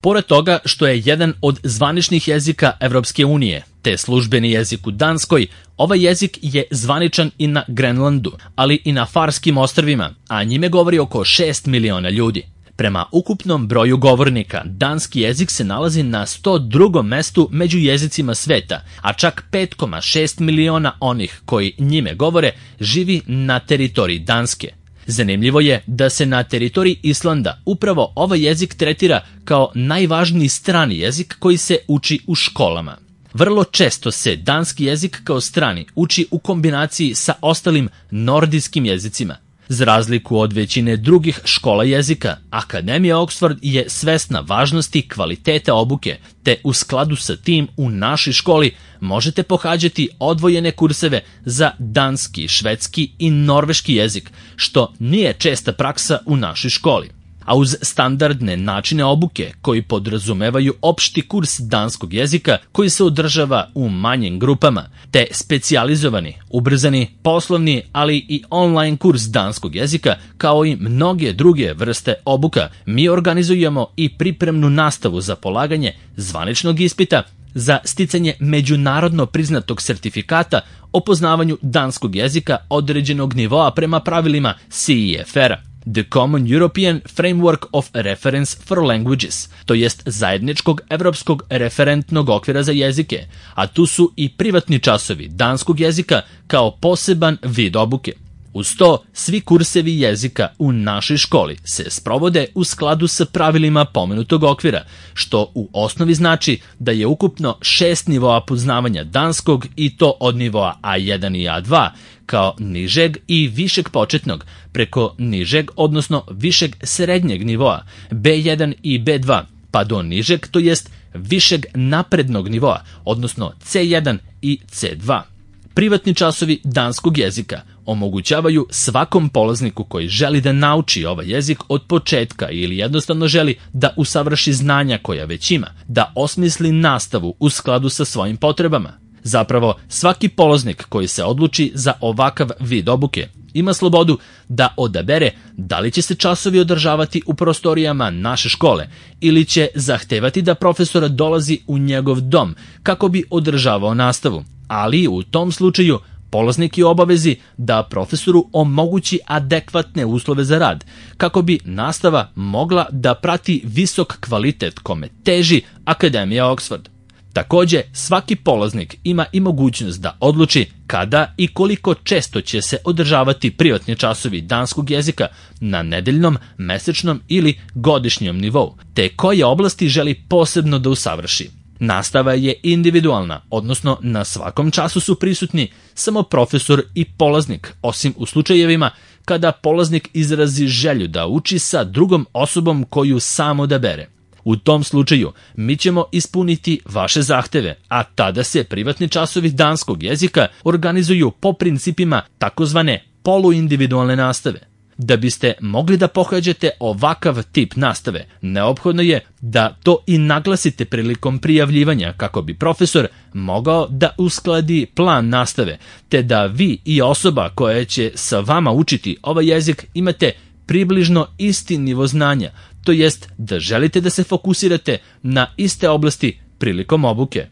Pored toga što je jedan od zvaničnih jezika Evropske unije, te službeni jezik u Danskoj, ovaj jezik je zvaničan i na Grenlandu, ali i na Farskim ostrvima, a njime govori oko 6 miliona ljudi. Prema ukupnom broju govornika, danski jezik se nalazi na 102. mestu među jezicima sveta, a čak 5,6 miliona onih koji njime govore živi na teritoriji Danske. Zanimljivo je da se na teritoriji Islanda upravo ovaj jezik tretira kao najvažniji strani jezik koji se uči u školama. Vrlo često se danski jezik kao strani uči u kombinaciji sa ostalim nordijskim jezicima. Za razliku od većine drugih škola jezika, Akademija Oxford je svesna važnosti kvaliteta obuke, te u skladu sa tim u našoj školi možete pohađati odvojene kurseve za danski, švedski i norveški jezik, što nije česta praksa u našoj školi. A uz standardne načine obuke koji podrazumevaju opšti kurs danskog jezika koji se održava u manjim grupama, te specijalizovani, ubrzani, poslovni, ali i online kurs danskog jezika, kao i mnoge druge vrste obuka, mi organizujemo i pripremnu nastavu za polaganje zvaničnog ispita za sticanje međunarodno priznatog sertifikata o poznavanju danskog jezika određenog nivoa prema pravilima CEFR-a. The Common European Framework of Reference for Languages, to jest zajedničkog evropskog referentnog okvira za jezike, a tu su i privatni časovi danskog jezika kao poseban vid obuke. Uz to, svi kursevi jezika u našoj školi se sprovode u skladu sa pravilima pomenutog okvira, što u osnovi znači da je ukupno 6 nivoa poznavanja danskog i to od nivoa A1 i A2, kao nižeg i višeg početnog, preko nižeg, odnosno višeg srednjeg nivoa, B1 i B2, pa do nižeg, to jest višeg naprednog nivoa, odnosno C1 i C2. Privatni časovi danskog jezika omogućavaju svakom polazniku koji želi da nauči ovaj jezik od početka ili jednostavno želi da usavrši znanja koja već ima, da osmisli nastavu u skladu sa svojim potrebama. Zapravo, svaki polaznik koji se odluči za ovakav vid obuke ima slobodu da odabere da li će se časovi održavati u prostorijama naše škole ili će zahtevati da profesor dolazi u njegov dom kako bi održavao nastavu, ali u tom slučaju polaznik je u obavezi da profesoru omogući adekvatne uslove za rad, kako bi nastava mogla da prati visok kvalitet kome teži Akademija Oxford. Takođe, svaki polaznik ima i mogućnost da odluči kada i koliko često će se održavati privatni časovi danskog jezika na nedeljnom, mesečnom ili godišnjem nivou, te koje oblasti želi posebno da usavrši. Nastava je individualna, odnosno na svakom času su prisutni samo profesor i polaznik, osim u slučajevima kada polaznik izrazi želju da uči sa drugom osobom koju sam odabere. U tom slučaju mi ćemo ispuniti vaše zahteve, a tada se privatni časovi danskog jezika organizuju po principima takozvane poluindividualne nastave. Da biste mogli da pohađate ovakav tip nastave, neophodno je da to i naglasite prilikom prijavljivanja kako bi profesor mogao da uskladi plan nastave, te da vi i osoba koja će sa vama učiti ovaj jezik imate približno isti nivo znanja, to jest da želite da se fokusirate na iste oblasti prilikom obuke.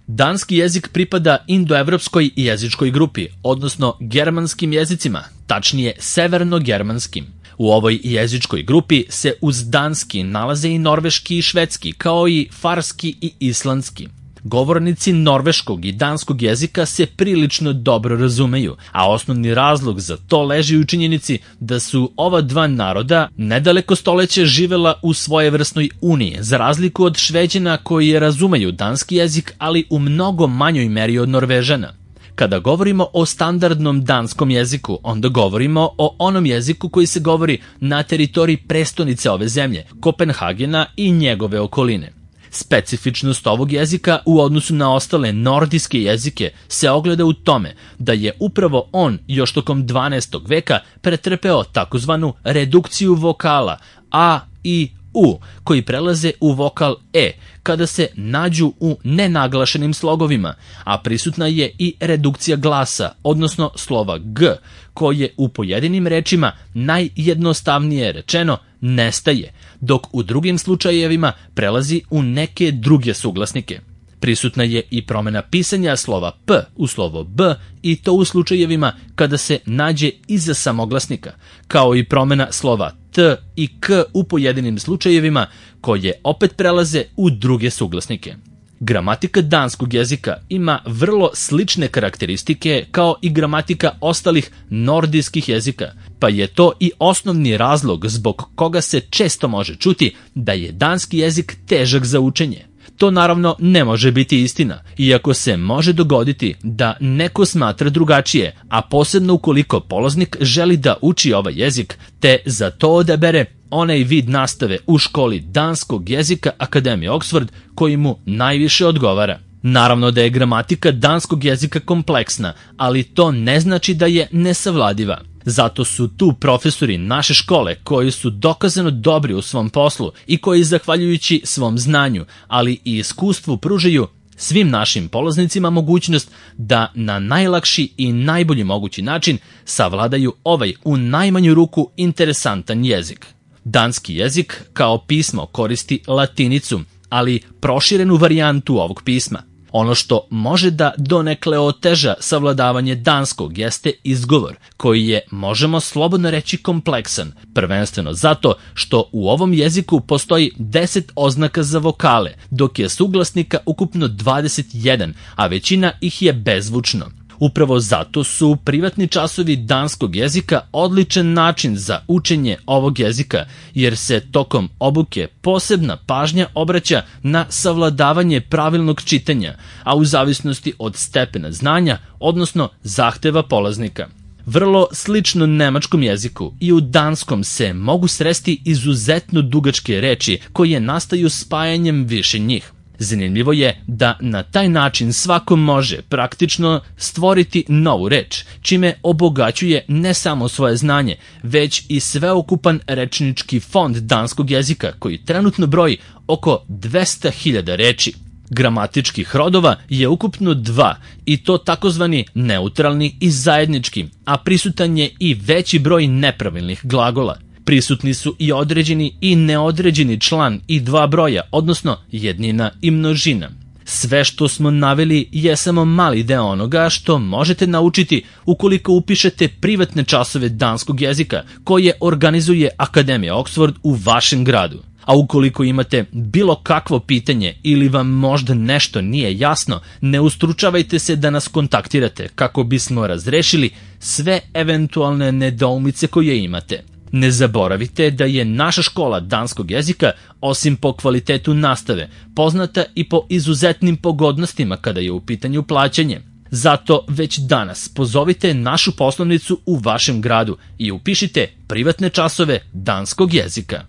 Danski jezik pripada indoevropskoj jezičkoj grupi, odnosno germanskim jezicima, tačnije severno-germanskim. U ovoj jezičkoj grupi se uz danski nalaze i norveški i švedski, kao i farski i islandski. Govornici norveškog i danskog jezika se prilično dobro razumeju, a osnovni razlog za to leži u činjenici da su ova dva naroda nedaleko stoleća živela u svojevrsnoj uniji, za razliku od Šveđana koji razumeju danski jezik, ali u mnogo manjoj meri od Norvežana. Kada govorimo o standardnom danskom jeziku, onda govorimo o onom jeziku koji se govori na teritoriji prestonice ove zemlje, Kopenhagena i njegove okoline. Specifičnost ovog jezika u odnosu na ostale nordijske jezike se ogleda u tome da je upravo on još tokom 12. veka pretrpeo takozvanu redukciju vokala A, I, U, koji prelaze u vokal E kada se nađu u nenaglašenim slogovima, a prisutna je i redukcija glasa, odnosno slova G, koje u pojedinim rečima najjednostavnije rečeno nestaje, dok u drugim slučajevima prelazi u neke druge suglasnike. Prisutna je i promena pisanja slova P u slovo B i to u slučajevima kada se nađe iza samoglasnika, kao i promena slova T i K u pojedinim slučajevima koje opet prelaze u druge suglasnike. Gramatika danskog jezika ima vrlo slične karakteristike kao i gramatika ostalih nordijskih jezika, pa je to i osnovni razlog zbog koga se često može čuti da je danski jezik težak za učenje. To naravno ne može biti istina, iako se može dogoditi da neko smatra drugačije, a posebno ukoliko polaznik želi da uči ovaj jezik, te za to odabere onaj vid nastave u školi danskog jezika Akademije Oxford koji mu najviše odgovara. Naravno da je gramatika danskog jezika kompleksna, ali to ne znači da je nesavladiva. Zato su tu profesori naše škole koji su dokazano dobri u svom poslu i koji zahvaljujući svom znanju, ali i iskustvu pružaju svim našim polaznicima mogućnost da na najlakši i najbolji mogući način savladaju ovaj u najmanju ruku interesantan jezik. Danski jezik kao pismo koristi latinicu, ali proširenu varijantu ovog pisma. Ono što može da donekle oteža savladavanje danskog jeste izgovor, koji je, možemo slobodno reći, kompleksan, prvenstveno zato što u ovom jeziku postoji 10 oznaka za vokale, dok je suglasnika ukupno 21, a većina ih je bezvučno. Upravo zato su privatni časovi danskog jezika odličan način za učenje ovog jezika, jer se tokom obuke posebna pažnja obraća na savladavanje pravilnog čitanja, a u zavisnosti od stepena znanja, odnosno zahteva polaznika. Vrlo slično nemačkom jeziku i u danskom se mogu sresti izuzetno dugačke reči koje nastaju spajanjem više njih. Zanimljivo je da na taj način svako može praktično stvoriti novu reč, čime obogaćuje ne samo svoje znanje, već i sveukupan rečnički fond danskog jezika koji trenutno broji oko 200.000 reči. Gramatičkih rodova je ukupno 2 i to takozvani neutralni i zajednički, a prisutan je i veći broj nepravilnih glagola. Prisutni su i određeni i neodređeni član i 2 broja, odnosno jednina i množina. Sve što smo naveli je samo mali deo onoga što možete naučiti ukoliko upišete privatne časove danskog jezika koje organizuje Akademija Oxford u vašem gradu. A ukoliko imate bilo kakvo pitanje ili vam možda nešto nije jasno, ne ustručavajte se da nas kontaktirate kako bismo razrešili sve eventualne nedoumice koje imate. Ne zaboravite da je naša škola danskog jezika, osim po kvalitetu nastave, poznata i po izuzetnim pogodnostima kada je u pitanju plaćanje. Zato već danas pozovite našu poslovnicu u vašem gradu i upišite privatne časove danskog jezika.